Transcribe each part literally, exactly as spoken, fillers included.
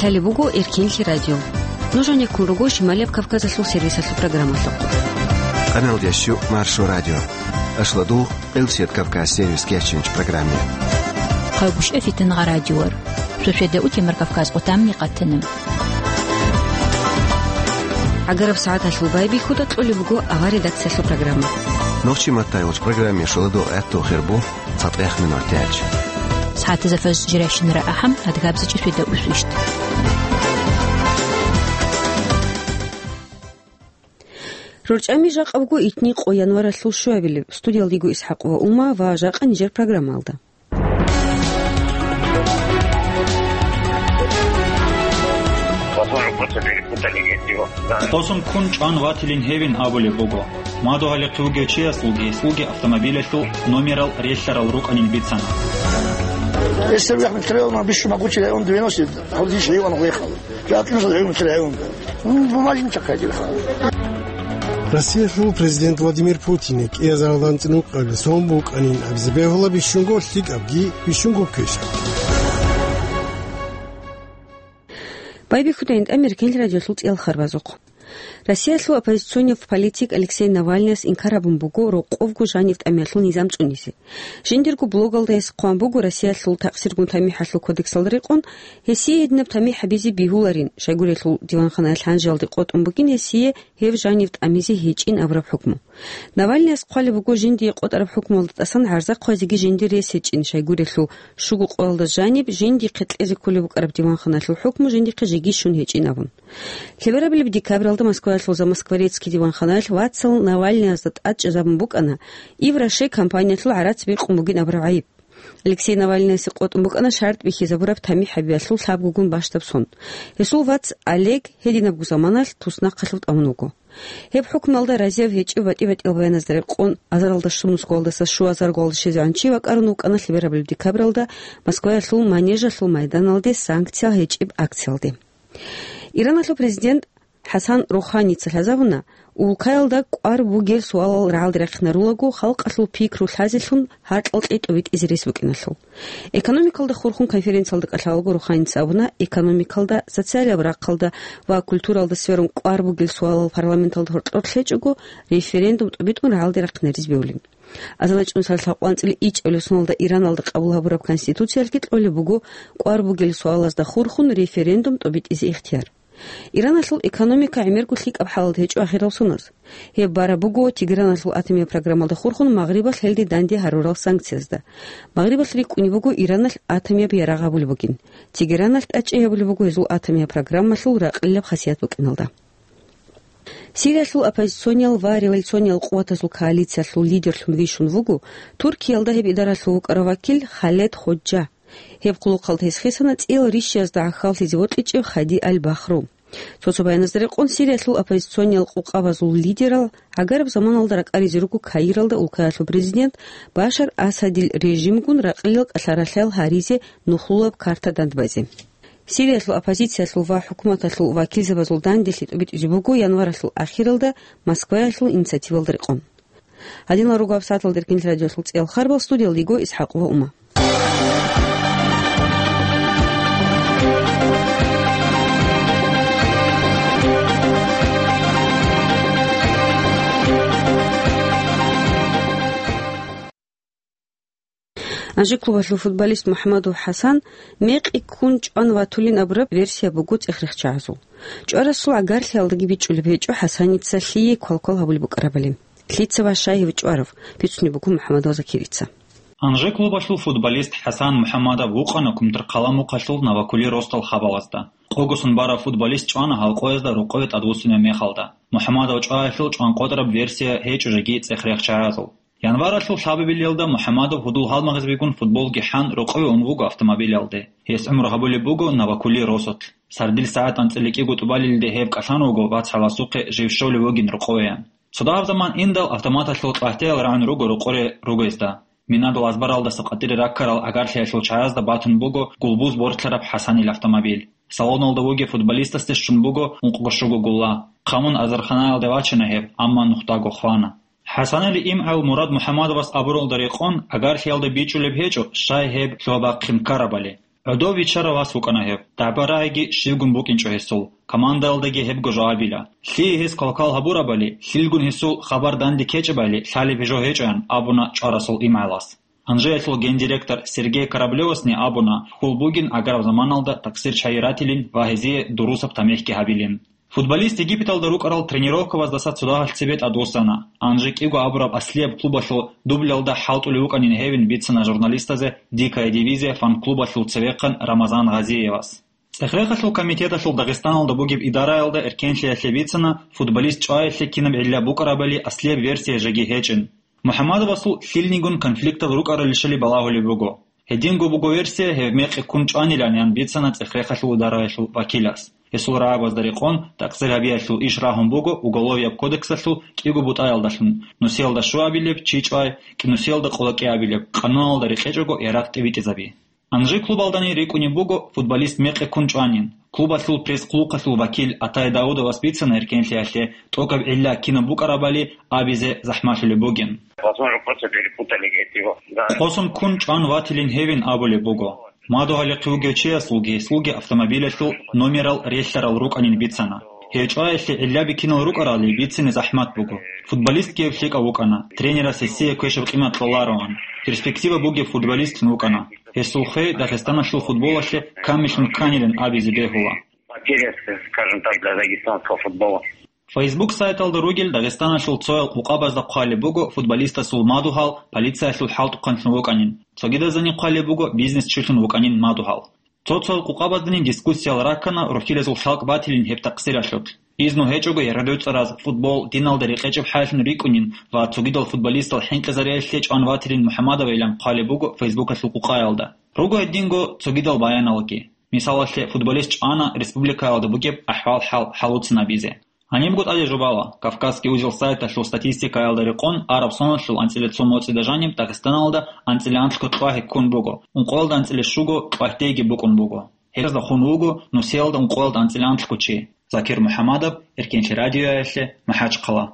Гьале буго Эркинлъи радио. Нуж гьанеккун руго Шималияб Кавказалъул сервисалъул программалъухъ. Къаналдящу Маршо радио. Ашладугъ Къилсият Кавказ сервис кечинч программе. Хъагушев Фитнагъа радиор. Шошеда утемар Кавказ къутамни къатана. Агараб сагӀаталъул байбихьуда кьолеб буго авар редакциялъул программа. Нохчи маттайгъуч программе шуладугъ гӀатту хирбу. ЦатӀех минутач. СагӀатазда фаж жирайщинара ахӀам, адгабзачӀи шуйда усвищт. РорчӀами жакъа буго итни къо январалъул щуабилеб. Студиялда йиго ИсхӀакъ ва Ума ва жакъа нижер программалда. Тосун ккун чӀван ватилин гьевин абулеб буго. Мадугьалихъе вугев чиясулги, гьесулги автомобилялъул номерал релълъарал рукӀанин бицана. Если вы Ахмед Карауловна, бищу могучий район девяносто, гьавдиш район выехал. Я отъехал район, район. Ну, бумажник такая дело. Россиялъул президент Владимир Путине кӀиазаралда анцӀила укъабилеб сон букӀанин абизе бегьула бищунго лъикӀабги, бищунго квешабги. Байбихьуда гьанже Эркинлъи радиолъул цӀеял харбазухъ. Россиялъул оппозиционный политик Алексей Навальныяс инкар гьабун буго рокъовго жанив тӀамиялъул низам цӀунизе. Жиндирго блогалда гьес хъван буго Россиялъул такъсиргун тамихӀалъул кодексалда рекъон, гьесие гьединаб тамихӀ гьабизе бегьуларин, щайгурелъул диванханаялъ гьанжеялде къотӀун бугин гьесие гьеб жанив тӀамизе гьечӀин абураб хӀукму. Навальныяс хъвалеб буго жиндие къотӀараб хӀукмуялда тӀасан гӀарза хъвазеги жиндир рес гьечӀин, щайгурелъул щуго къоялда жаниб жиндихъе кьезе кколеб букӀараб диванханалъул хӀукму жиндихъе жеги щун гьечӀин абун. Лъеберабилеб декабралда Москваялъул Замоскворецкий диванханаялъ вацал Навальныязда тӀад чӀезабун букӀана Ив Роше компаниялъул гӀарац бикъун бугин абураб гӀайиб. Алексей Навальныясе къотӀун букӀана шартӀ бихьизабураб тамихӀ гьабиялъул лъабгогун бащдаб сон. Гьесул вац Олег гьединабго заманалъ туснахъалъув тӀамун вуго. Гьеб хӀукмуялда разияв гьечӀев батӀи-батӀиял баяназда рекъон, азаралда щун Москвалдаса щуазарго гъалда щвезегӀан чи вакӀарун вукӀана лъеберабилеб декабралда Москваялъул Манежалъул майданалде санкциял гьечӀеб акциялде. Ираналъул президент ХӀасан Руханица лъазабуна, улкаялда кӀвар бугел суалал рагӀалде рахъинарулаго халкъалъул пикру лъазелъун гьаркьал кьетӀ битӀизе рес букӀиналъул. Экономикалда хурхун конференциялда кӀалъалаго Руханица абуна, экономикалда, социалияб рахъалда ва культуралда сверун кӀвар бугел суалал парламенталда гьоркьор лъечӀого, референдум тӀубитӀун рагӀалде рахъинаризе бегьулин. АзарилчӀун саралъ гьаб анцӀила ичӀабилеб соналда Ираналда къабул гьабураб конституциялъги кьолеб буго кӀвар бугел суалазда хурхун референдум тӀубитӀизе ихтияр. Ираналъул экономика гӀемерго лъикӀаб хӀалалда гьечӀо ахирал соналъ. Гьеб бараб буго Тегераналъул атомияб программалда хурхун Магърибалъ гьелде данде гьарурал санкциязда. Магърибалъ рикӀкӀунеб буго Ираналъ атомияб ярагъ гьабулеб бугин. Тегераналъ тӀадчӀей гьабулеб буго гьезул атомияб программалъул ракълилаб хасият букӀиналда. Сириялъул оппозициониял ва революциониял къуватазул коалициялъул лидерлъун вищун вуго Туркиялда гьеб идаралъув вукӀарав вакил Халед Ходжа. Гьеб хъулухъалда гьес хисана цӀиял рищиязда гӀахьаллъизе вокьичӀев Хади аль-Бахру. Цо-цо баяназда рекъон, Сириялъул оппозициониял къукъабазул лидерал гӀагараб заманалда ракӀаризе руго Каиралда улкаялъул президент Башар Асадил режимгун ракълиял кӀалъаралъаял гьаризе нухлулаб карта дандбазе. Сириялъул оппозициялъул ва хӀукуматалъул вакилзабазул данделъи тӀубитӀизе буго январалъул ахиралда Москваялъул инициативалда рекъон. Гьадинал руго гьаб сагӀаталда Эркинлъи радиолъул цӀеял харбал, студиялда йиго ИсхӀакъ ва Ума. Анжи клубалъул футболист МухӀамадов ХӀасан мекъи ккун чӀван ватулин абураб версия буго цӀех-рехчагӀазул. ЧӀварасул гӀагарлъиялдаги бичӀчӀулеб гьечӀо ХӀасаница лъие квалквал гьабулеб букӀарабали. Лъица ва щай гьев чӀварав, бицунеб буго МухӀамадов Закирица. Анжи клубалъул футболист ХӀасан МухӀамадов вукъана Кумтархъала мухъалъул Новокули росдал хабалазда. Къогосон барав футболист чӀвана гьал къоязда рокъове тӀадвуссинаб мехалда. МухӀамадов чӀваялъул чӀван къотӀараб версия гьечӀо жеги цӀех-рехчагӀазул. Январалъул лъабабилелда МухӀамадов гьудул гьалмагъазбигун футболги хӀан рокъове ун вуго автомобилялде. Гьес гӀумру гьабулеб буго Новокули росулъ. Сардил сагӀат анцӀила кӀиго тӀубалилде гьеб кӀалъан вуго вацгӀаласухъе жив щолев вугин рокъовеян. Цо дагьаб заман индал автоматалъул кьагьтиял рагӀун руго рокъоре ругезда. Минадул азбаралдаса къватӀире раккарал гӀагарлъиялъул чагӀазда батун буго гулбуз бортлъараб ХӀасанил автомобиль. Салоналда вугев футболистасде щун буго ункъго-щуго гулла. Хъамун азарханаялде вачана гьеб, амма нухдаго хвана. ХӀасанил имгӀал Мурад МухӀамадовас абуралда рекъон, гӀагарлъиялда бичӀчӀулеб гьечӀо, щай гьеб лъугьа-бахъин ккарабали. ГӀодов виччарав вас вукӀана гьеб. ДагӀба-рагӀиги щибгун букӀинчӀо гьесул, командаялдаги гьебго жо абила. Лъие гьес квалквал гьабурабали, лъилгун гьесул хабар данде ккечӀебали лъалеб жо гьечӀоян абуна чӀварасул имгӀалас. Анжеялъул гендиректор Сергей Кораблевасни абуна, хьул бугин аграб заманалда такъсир чагӀи ратилин ва гьезие дурусаб тамихӀги гьабилин. Футболист Египеталда рукӀарал тренировкабаздаса цо дагьалъ цебе тӀадвуссана. Анжи кӀиго абураб аслияб клубалъул дубльалда хӀалтӀулев вукӀанин гьевин бицана журналистазе «Дикая дивизия» фан-клубалъул цевехъан Рамазан Гъазиевас. ЦӀехерехалъул комитеталъул Дагъистаналда бугеб идараялда эркенлъиялъе бицана, футболист чӀваялъе кинаб гӀилла букӀарабали аслияб версия жеги гьечӀин. МухӀаммадовасул лъилнигун конфликтал рукӀаралищали балагьулеб буго. Гьединго буго версия, гьев мекъи ккун чӀванилан, ян бицана цӀехерехалъул идараялъул вакилас. Гьесул рагӀабазда рекъон, такъсир гьабиялъул иш рагьун буго Уголовияб кодексалъул кӀиго бутӀаялдалъун: нусиялда щуабилеб, чи чӀвай, кӀи-, нусиялда къоло кӀиабилеб, къануналда рекъечӀого ярагъ тӀибитӀизаби. Анжи клубалдани рикӀкӀунеб буго футболист мекъи ккун чӀванин. Клубалъул пресс-хъулухъалъул вакил Атай Даудовас бицана эркенлъиялъе тӀокӀаб гӀилла кинаб букӀарабали абизе захӀмалъулеб бугин. Возможно, просто перепутали, говорит, его. Да. Къосун ккун чӀван ватилин гьевин абулеб буго. Мадугьалихъе вугев чиясулги гьесулги автомобилялъул номерал релълъарал рукӀанин бицана. Гьев чӀваялъе гӀилла бикинал рукӀарали бицине захӀмат буго. Футболистги гьев лъикӀав вукӀана, тренерас гьесие квешаб къимат кьолароан. Перспектива бугеб футболистин вукӀана. Гьесул хвей Дагъистаналъул футболалъе камиллъун кканилан абизе бегьула. Потеря, скажем так, для дагестанского футбола. Facebook сайталда ругел Дагъистаналъул цоял къукъабазда хъвалеб буго футболистасул мадугьал полициялъул хӀалтӀухъанлъун вукӀанин. Цогидазани хъвалеб буго бизнес чилъун вукӀанин мадугьал. Цо-цоял къукъабаздани дискуссиял раккана рухьилазул лъалкӀ батилин гьеб такъсиралъулъ. Изну гьечӀого яргъи-дуцӀараз, футбол диналда рекъечӀеб хӀайлъун рикӀкӀунин ва цогидал футболистал хӀинкъизариялъе чӀван ватилин МухӀаммадовайилан хъвалеб буго Фейсбукалъул къукъаялда. Руго гьединго цогидал баяналги. Мисалалъе, футболист чӀвана республикаялда бугеб ахӀвал-хӀал хӀалуцин абизе. Гьанибго тӀаде жубала, Кавказский узел сайталъул статистикаялда рекъон, араб соналъул анцӀила цо моцӀида жаниб Дагъистаналда анцӀила анлъго кьвагьи ккун буго, ункъоялда анцӀила щуго кьвагьдейги букӀун буго. Гьезда хун вуго нусиялда ункъоялда анцӀила анлъго чи. Закир МухӀаммадов, Эркенлъи радиоялъе, МахӀачхъала.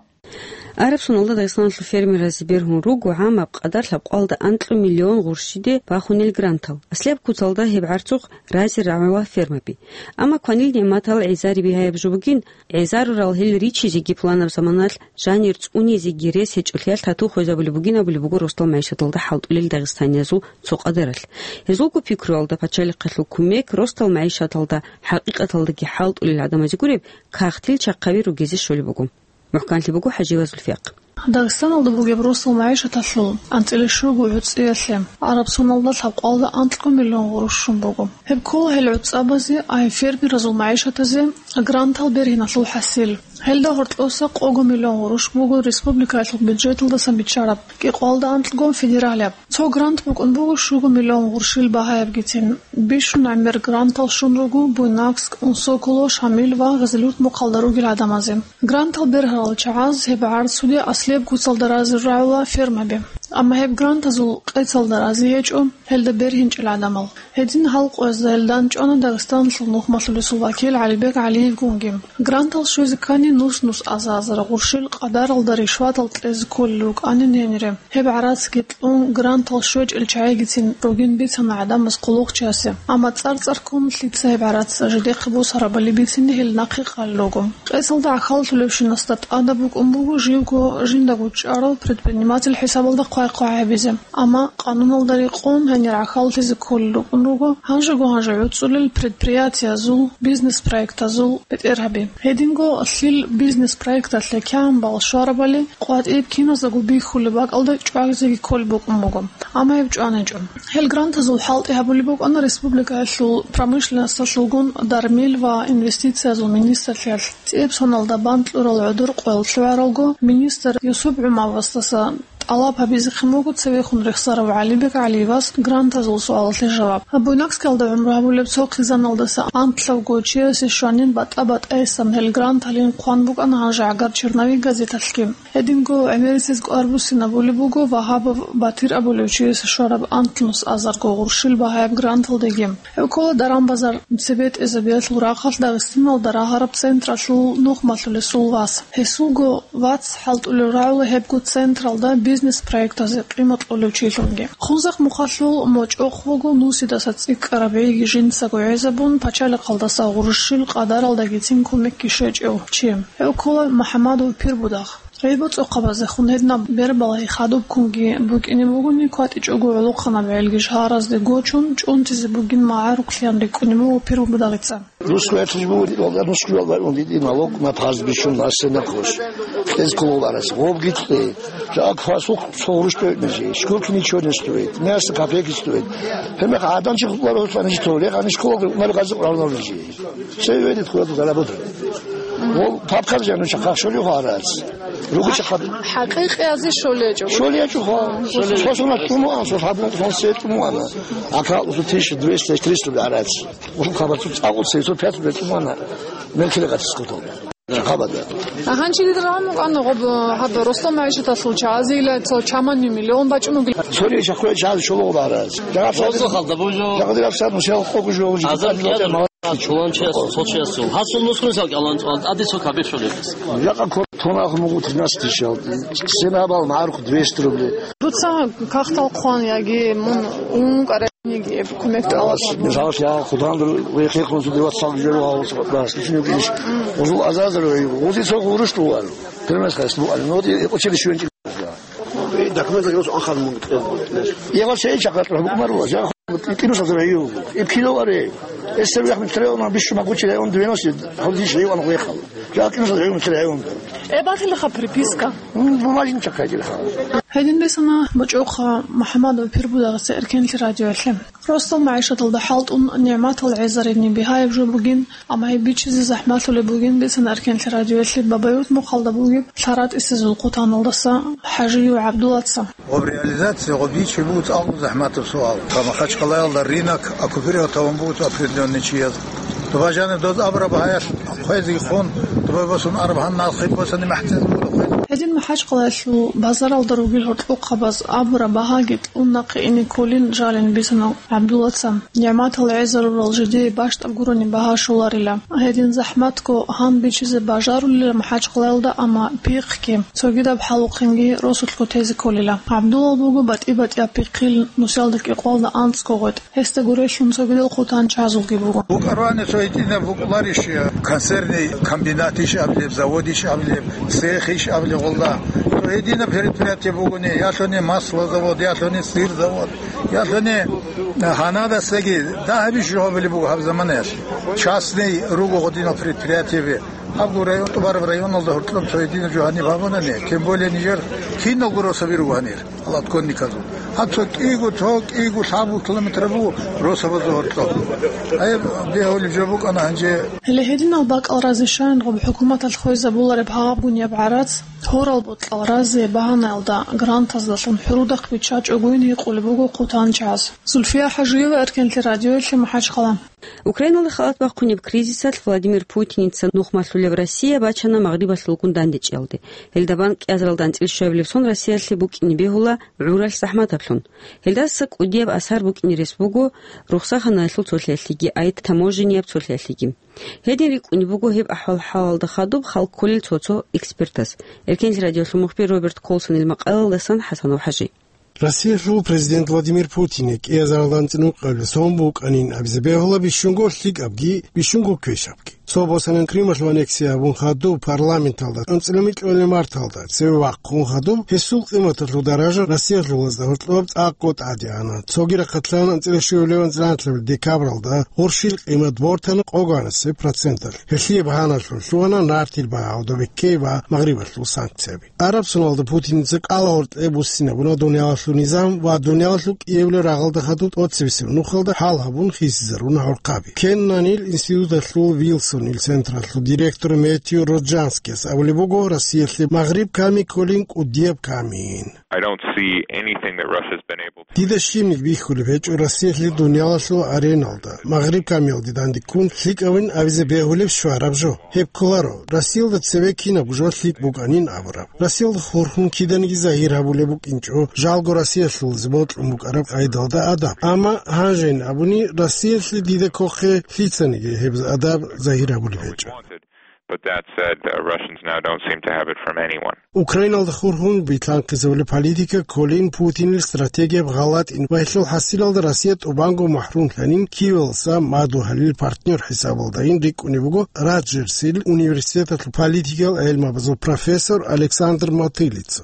Араб соналда Дагъистаналъул фермеразе бергьун руго гӀамаб къадар лъабкъоялда анкьго миллион гъурщиде бахунел грантал. Аслияб куцалда гьеб гӀарцухъ разе рагӀула фермаби. Амма кванил нигӀматал гӀезари бигьаяб жо бугин, гӀезарурал гьел ричизеги пуланаб заманалъ жанир цӀунизеги рес гьечӀолъиялъ тату хвезабулеб бугин абулеб буго росдал магӀишаталда хӀалтӀулел дагъистаниязул цо къадаралъ. Гьезулго пикруялда пачалихъалъул кумек росдал магӀишаталда хӀакъикъаталдаги хӀалтӀулел гӀадамазе гуреб кагътил чахъаби ругезе щолеб буго. МухӀканлъи буго ХӀажиева Зульфиякъ. Дагъистаналда бугеб росдал магӀишаталъул анцӀила щуго гӀуцӀиялъе араб соналда лъабкъоялда анкьго миллион гъурущ щун буго. Гьеб ккола гьел гӀуцӀабазе, ай фермеразул магӀишатазе грантал бергьиналъул хӀасил. Гьелда гьоркьоса къого миллион гъурущ буго республикаялъул бюджеталдасан биччараб, кӀикъоялда анкьго федералияб. Цо грант букӀун буго щуго миллион гъурщил багьаябгицин. Бищун гӀемер грантал щун руго Буйнакск, Унсоколо, Шамил ва Гъезилюрт-Мухъалда ругел гӀадамазе. Грантал бергьарал чагӀаз гьеб гӀарцуде аслияб куцалда разе рагӀула фермаби. Амма гьеб грантазул къецалда разе гьечӀо гьелда бергьинчӀел гӀадамал. Гьедин гьал къоязда гьелда анчӀвана Дагъистаналъул нухмалъулесул вакил ГӀалибек ГӀалиевгунги. Грантал щвезе ккани нус-нус азар-азар гъурщил къадаралда ришватал кьезе кколел рукӀанин гьенире. Гьеб гӀарацги кьун, грантал щвечӀел чагӀигицин ругин бицана гӀадамаз хъулухъчиясе. Амма цӀар-цӀар ккун лъица гьеб гӀарац жидехъе босарабали бицине гьел нахъе къалел руго. Къецалда гӀахьаллъулевщинасда тӀадаб букӀун буго живго жиндаго чӀарал предприниматель хӀисабалда хъвай-хъвай гьабизе. Амма къануналда рекъон гьанир гӀахьаллъизе кколел рукӀун руго, гьанжего-гьанже гӀуцӀулел предприятиязул, бизнес-проектазул бетӀергьаби. Гьединго лъил бизнес-проекталъе кямбал щварабали къватӀиб киназдаго бихьулеб бакӀалда чӀвазеги кколеб букӀун буго. Амма гьеб чӀваничӀо. Гьел грантазул хӀалтӀи гьабулеб букӀана республикаялъул промышленносталъулгун, дармил ва инвестициязул министрлъиялъ. ЦӀиб соналда бан кьурал гӀодор къоял лъугӀаралго, министр Юсуп ГӀумавасдаса тӀалаб гьабизехъин буго цевехун рехсарав ГӀалибек ГӀалиевас грантазул суалалъе жаваб. Буйнакскиялда гӀумру гьабулеб цо хъизаналдаса анлъавго чиясе щванин батӀа-батӀайсан гьел гранталин хъван букӀана гьанже «Агар черновик» газеталъги. Гьединго гӀемерисез кӀвар буссинабулеб буго Вагьабов Батир абулев чиясе щвараб анлънус азарго гъурщил багьаяб гранталдеги. Гьеб ккола даран-базар цебетӀезабиялъул рахъалъ Дагъистаналда рагьараб централъул нухмалъулесул вас. Гьесулго вац хӀалтӀулел рагӀула гьебго централда бизнес-проектазе къимат кьолев чилъунги. Хунзахъ Мухъалъул мочӀохъ вуго нусидаса цӀикӀкӀараб гӀиги жинцаго гӀезабун, пачалихъалдаса гъурущил къадаралдагицин кумекги щвечӀев чи. Гьев ккола МухӀамадов Пирбудагъ. ГӀелбоцӀухъабазехун гьединаб бербалай хадуб кунги букӀине бугони, кватӀичӀого гӀолохъанаб гӀелги шагьаразде гочун, чӀунтизе бугин магӀарухълъан рикӀкӀунеб буго Пирбудагъица. Русская служба, русская служба, он видит налог на пастбищу, на сенокос. Кьез кулугъарас, гъобги кье. Жак фасух цо гъурущ тӀойтӀнажи. Шкурки ничего не стоит. Мясо копейки стоит. Гьебмехъ гӀадан чи хутӀларо, хутӀланиги товле, гьаниш кулугъ, унали гази къуравнавлижи. Все видит, куда-то заработать. Вол папкар жану чахъа шолио гьарац. Ругу чахъа. ХӀакъикъиазе шолиячӀо. ШолиячӀо ха. Сосуна тумуан, сос хабун сон се тумуана. Ака усу тысяча двести, триста гьарац. Усу хабацу цӀакъу се сто пятьдесят тумуана. Мелкиле гатис куту. Хабада. Агьанчи дир рагӀун вукӀана гъоб гьаб росла магӀишаталъул чагӀазила цо чаманни миллион бачӀун вугил. Сори чахъуя чагӀаз шоло гьарац. Жагъа Роза халда бужо. Жагъа дираб сад мусял къогу жо. Азар кьяда. Чулан чиясул, цо чиясул. Гьасул нусгун сал кӀалан, тӀади цо кабир шолебис. Жакъа кор-, тонах мугу тринадцать тысяч ал. Сенабал марх двести рублей. Дуца кахтал хъван яги мун ун карениги кумек тӀалаб. Мисал, я худан вехе хун суди ватсал жо гьавус бас. Ишин югиш. Узул азазар вей. Узи цо гъурущ лугар. Пример хас лугар. Но ди училище венчи. Документ загрузил анхъан мун кьел. Я вас эй чакъат букмару, я кину садра ю. Иб кило аре. Эсер яхми треона бишума гучи он двенадцать, хавдиш ю ан вехал. Я кину садра ю треон. Э, бахилха приписка. Бумажин чакъайдилха. Гьедин бесана бачӀухъа МухӀамадов Пирбудагъица эркенлъи радиоялъе. Росла магӀишаталда хӀалтӀун нигӀматал гӀезарини бигьаяб жо бугин, амма гьеб бичизе захӀмалъулеб бугин бесана эркенлъи радиоялъе Бабаюрт мухъалда бугеб Лъаратисезул хъутаналдаса ХӀажиев ГӀабдуллаца. Гъоб реализация, гъоб бичи буго цӀакъ захӀматаб суал. Ка Махачкалаялда рынок оккупировать гьавун буго определённый чияз. Дуба жаниб доз абура багьаялъ хъвезе хун, дуба босун араб гьанна алхъи босани махӀцӀин буго хъвезе. Гьедин Махачкалаялъул базаралда ругел гьоркьохъабаз абура багьаги кьун нахъе ине кколин жалин бисана ГӀабдуллаца. НигӀматал гӀезарурал жидее бащтӀаб гурони багьа щоларила. Гьедин захӀматго гьан бичизе бажарулила МахӀачкъалаялда, амма пихъги, цогидаб хӀалухъинги росулъго тезе кколила. ГӀабдуллал буго батӀи-батӀияб пихъил, нусиялда кӀикъвалда анцӀго гъветӀ. Гьесда гурелъун цогидал хъутан чазулги буго. БукӀарвани цо гьитӀинаб букӀуларищ, консервный комбинатищ абилеб, заводищ абилеб, цехищ абилеб гъолда. Цо гьединаб предприятие бугони, ялъуни маслозавод, ялъуни сырзавод. Ялъуни гьанадасаги дагьабищ жо гьабулеб буго гьаб заманаялъ. Частный руго гъодинал предприятиеби. Абго район, тӀубараб районалда гьоркьоб цо гьединаб жо гьаниб гьабунани, тем более нижер киналго росаби руго гьанир, гьал отконниказул. Гьаб цо кӀиго, цо кӀиго лъабго километр буго росабазул гьоркьоб. Гьеб бегьулеб жо букӀана гьанже. Гьеле гьединал бакӀал разе щайин гъоб хӀукуматалъ хвезабулареб гьабгунеб гӀарац, гьорал бокьал разе багьанаялда грантаздалъун хӀурудахъ биччачӀогойин гьикъулеб буго хъутан чаз. Зульфия ХӀажиева, эркенлъи радиоялъе, МахӀачхъала. Украиналда халат бахъунеб кризисалъ Владимир Путиница нух малъулеб Россия бачана Магърибалъулгун дандечӀиялде. Гьелда бан кӀиазаралда анцӀила щуабилеб сон Россиялъе букӀине бегьула гӀуралъ захӀматаблъун. Гьелдаса кӀудияб асар букӀине рес буго рухсаханаялъул цолъиялъеги, ай таможенияб цолъиялъеги. Гьедин рикӀкӀунеб буго гьеб ахӀвал-хӀалалда хадуб хал кколел цо-цо экспертас. Эркенлъи радиолъул мухбир Роберт Колсонил макъалалдасан ХӀасанов ХӀажи. Россиялъул президент Владимир Путине кӀиазаралда анцӀила ункъабилеб сон букӀанин абизе бегьула бищунго лъикӀабги, бищунго квешабги. Цо босанин Крымалъул аннексия гьабун хадуб парламенталда анцӀила микьабилеб марталда цеве вахъун хадуб гьесул къиматалъул даража Россиялъулазда гьоркьоб цӀакъго тӀаде ана. Цоги рахъалъан анцӀила щуабилеб анцӀила анлъабилеб декабралда гъурщил къимат бортана къоганасеб проценталъ. Гьелъие багьаналъун лъугьана нартил багьа, гӀодобиккей ва Магърибалъул санкцияби. Араб соналда Путиница кӀалагьоркье буссинабуна дуниялалъул низам ва дуниялалъул кӀиабилеб рагъалда хадуб тӀоцебесеб нухалда хӀал гьабун хисизаруна гӀурхъаби. Кеннанил институталъул Вилсонил централъул директор Мэтью Роджанскияс абулеб буго, Россиялъе Магъриб ками кколин кӀудияб камиин. I don't see anything that Russia's been able to Дида щибниги бихьулеб гьечӀо Россиялъе дуниялалъул ареналда Магъриб камиялде дандеккун лъикӀабин абизе бегьулеб щвараб жо. Гьеб кколаро, Россиялда цеве кинабго жо лъикӀ букӀанин абураб. Россиялда хурхун киданиги загьир гьабулеб букӀинчӀо, жалго Россиялъулазе бокьун букӀараб къайдалда адаб. Амма гьанжейин абуни, Россиялъе дида кохъе лъицаниги гьеб адаб загьир гьабулеб гьечӀо. But that said, uh, Russians now don't seem to have it from anyone. Украиналда хурхун битлъанхъизабулеб политика кколин Путинил стратегияб гъалатӀин ва гьелъул хӀасилалда Россия тӀубанго махӀрумлъанин кивелса мадугьалил партнер хӀисабалдайин рикӀкӀунеб буго Раджерсил университеталъул политикиял гӀелмабазул профессор Александр Матылица.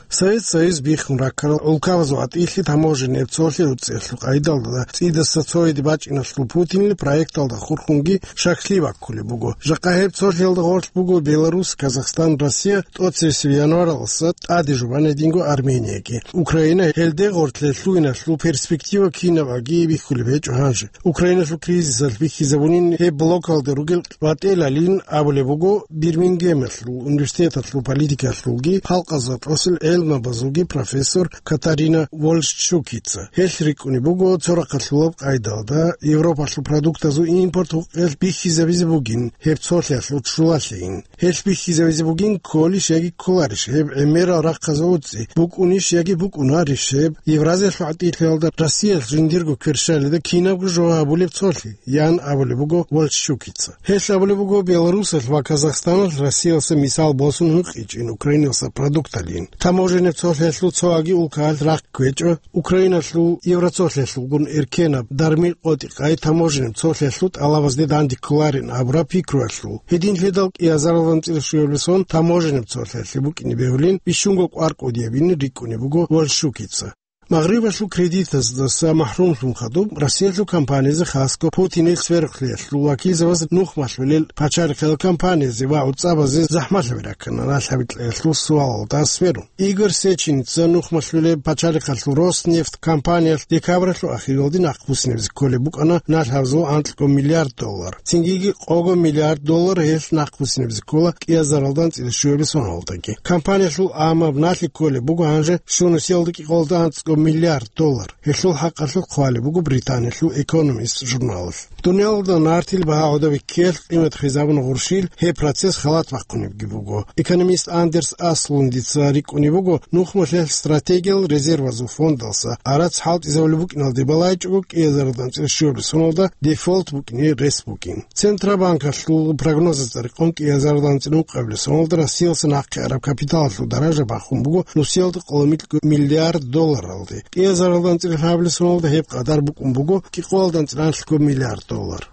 Совет Союз биххун раккарал гӀулкабазул гӀатӀилъи таможенный цолъи уцӀиялъул къайдалда цӀидаса цояде бачӀиналъул Путинил проекталда хурхунги шаклъи баккулеб буго. Жакъа гьеб цолъиялда гъорлъ буго Беларусь, Казахстан, Россия, тӀоцересел январалдаса тӀаде жубан гьединго Арменияги. Украина гьелде гъорлъе лъугьиналъул перспектива кинаб аги бихьулеб гьечӀо гьанже. Украиналъул кризисалъ бихьизабунин гьеб блокалда ругел ВатӀелалин абулеб буго Бирмингемалъул университеталъул политикалъулги халкъазда тӀасел гӀелмабазулги профессор Катарина Вольшчукица. Гьелъ рикӀкӀунеб буго цо рахъалъулаб къайдалда Европалъул продуктазул импорт гьукъиялъ бихьизабизе бугин гьеб цолъиялъул ччулалъейин. Гьелъ бихьизабизе бугин кколищ яги кколарищ гьеб гӀемерал рахъазул уцӀи, букӀунищ яги букӀунарищ гьеб Евразиялъул гӀатӀилъиялда Россиялъ жиндирго кверщалида кинабго жо гьабулеб цолъи, ян абулеб буго Вольшчукица. Гьелъ абулеб буго Беларусалъ ва Казахстаналъ Россиялъа мисал босун гьукъичӀин Украиналъа продукталин. Таможеннаб цолъиялъул цоаги улкаялъ рахъ кквечӀо, Украиналъул Евроцолъиялъулгун эркенаб дармил къотӀи-къай таможеннаб цолъиялъул тӀалабазде данде кколарин абураб пикруялъул. Гьединлъидал кӀиазаралда анцӀила щуабилеб сон таможеннаб цолъиялъе букӀине бегьулин бищунго кӀвар кӀудиябин рикӀкӀунеб буго Вольшчукица. Магърибалъул кредитаздаса махӀрумлъун хадуб, Россиялъул компаниязе, хасго Путинил сверухълъиялъул вакилзабаз нух малъулел пачалихъал компаниязе ва гӀуцӀабазе захӀмалъаби раккана налъ гьабикьаялъул суалалда сверун. Игорь Сеченица нух малъулеб пачалихъалъул Роснефть компаниялъ декабралъул ахиралде нахъбуссинабизе кколеб букӀана налъ гьабзул анкьго миллиард доллар. Цинги къого миллиард доллар гьелъ нахъбуссинабизе ккола кӀиазаралда анцӀила щуабилеб соналдаги. Компаниялъул амаб налъи кколеб буго гьанже щунусиялда кӀикъоялда анцӀго миллиард доллар. Гьелъул хӀакъалъулъ хъвалеб буго Британиялъул Экономист журналалъ. Дуниялалда нартил багьа гӀодобе ккеялъ къимат хвезабуна гъурщил, гьеб процесс халат бахъунебги буго. Экономист Андерс Аслундица рикӀкӀунеб буго, нухмалъиялъ стратегиял резервазул фондалса гӀарац хӀалтӀизабулеб букӀиналде балайчӀого кӀиазаралда анцӀила щуабилеб соналда дефолт букӀине рес бугин. Центробанкалъул прогнозазда рекъон кӀиазаралда анцӀила ункъабилеб соналда Россиялъа нахъе араб капиталалъул даража бахун буго нусиялда къоло миллиард долларалде. КӀиазаралда анцӀила лъабабилеб соналда гьеб къадар букӀун буго кӀикъоялда анцӀила анлъго миллиард доллар.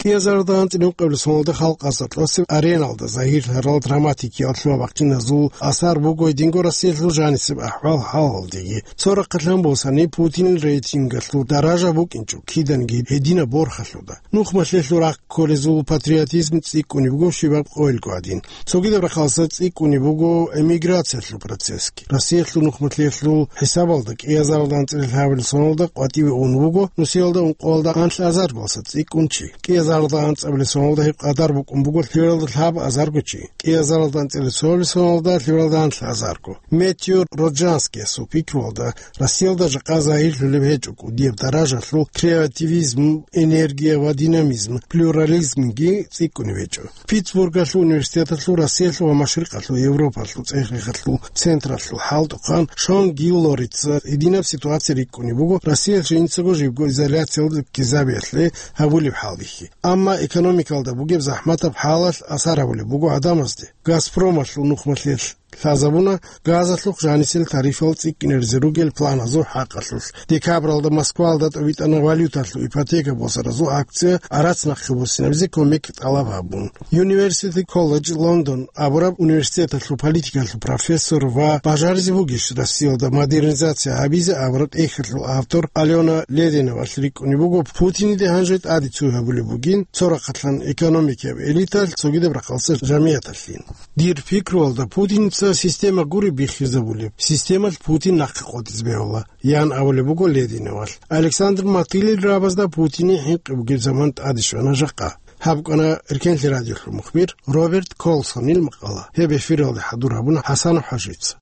КӀиазаралда анцӀила ункъабилеб соналда халкъазда тӀасеб ареналда загьирлъарал драматикиял лъугьа-бахъиназул асар буго гьединго Россиялъул жанисеб ахӀвал-хӀалалдеги. Цо рахъалъан босани, Путинил рейтингалъул даража букӀинчӀо киданги гьединаб борхалъуда. Нухмалъиялъул рахъ кколезул патриотизм цӀикӀкӀунеб буго щибаб къоялъго гӀадин. Цогидаб рахъалъа цӀикӀкӀунеб буго эмиграциялъул процессги. Россиялъул нухмалъиялъул хӀисабалда кӀиазаралда анцӀила лъабабилеб соналда къватӀиве ун вуго нусиялда ункъоялда анлъазарго цӀикӀкӀун чи. КӀиазаралда анцӀабилеб соналда гьеб къадар букӀун буго лъабабилеб соналда лъабазарго чи. КӀиазаралда анцӀила цоабилеб соналда лъабабилеб соналда анлъазарго. Метью Роджанскиясул пикруялда, Россиялда жакъа загьирлъулеб гьечӀо кӀудияб даражалъул креативизм, энергия ва динамизм, плюрализмги цӀикӀкӀунеб гьечӀо. Питтсбургалъул университеталъул Россиялъул ва Машрикъалъул Европалъул цӀех-рехалъул централъул хӀалтӀухъан Шон Гиллорица гьединаб ситуация рикӀкӀунеб буго Россиялъ жинцаго жибго изоляциялда ккезабиялъе гьабулеб хӀалихьи. Амма экономикалда бугеб захӀматаб хӀалалъ асар гьабулеб буго гӀадамазде. Газпромалъул нухмалъиялъ лъазабуна газалъухъ жанисел тарифал цӀикӀкӀинаризе ругел планазул хӀакъалъулъ. Декабралда Москвалда тӀобитӀана валюталъул ипотека босаразул акция гӀарац нахъе буссинабизе кумек тӀалаб гьабун. University College London абураб университеталъул политикалъул профессор ва «Бажаризе бугищ Россиялда модернизация гьабизе?» абураб тӀехьалъул автор Алена Лединовалъ рикӀкӀунеб буго, Путиниде гьанже тӀаде цуй гьабулеб бугин, цо рахъалъан экономикияб элиталъ, цогидаб рахъалъа жамигӀаталъин. Дир пикруялда, Путинца система гури биххизабулеб, системалъ Путин нахъе къотӀизе бегьула, ян абулеб буго Лединовалъ. Александр Матылил рабазда Путине хӀинкъи бугеб заман тӀаде щвана жакъа. Гьаб букӀана Эркенлъи радиолъул мухбир Роберт Колсонил макъала. Гьеб эфиралде хӀадур гьабуна ХӀасанов ХӀажица.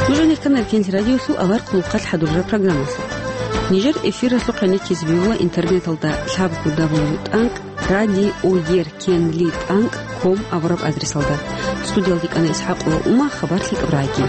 Нуж гьанир ккана Эркенлъи радиолъул авар хъулухъалъ хӀадурараб программалъ. Нижер эфиралъухъ гӀенеккизе бегьула интернеталда лъабго дабл ю тӀанкӀ радио ер кенли тӀанкӀ ком абураб адресалда. Студиялде кӀана ИсхӀакъ ва Ума, хабар лъикӀаб рагӀи.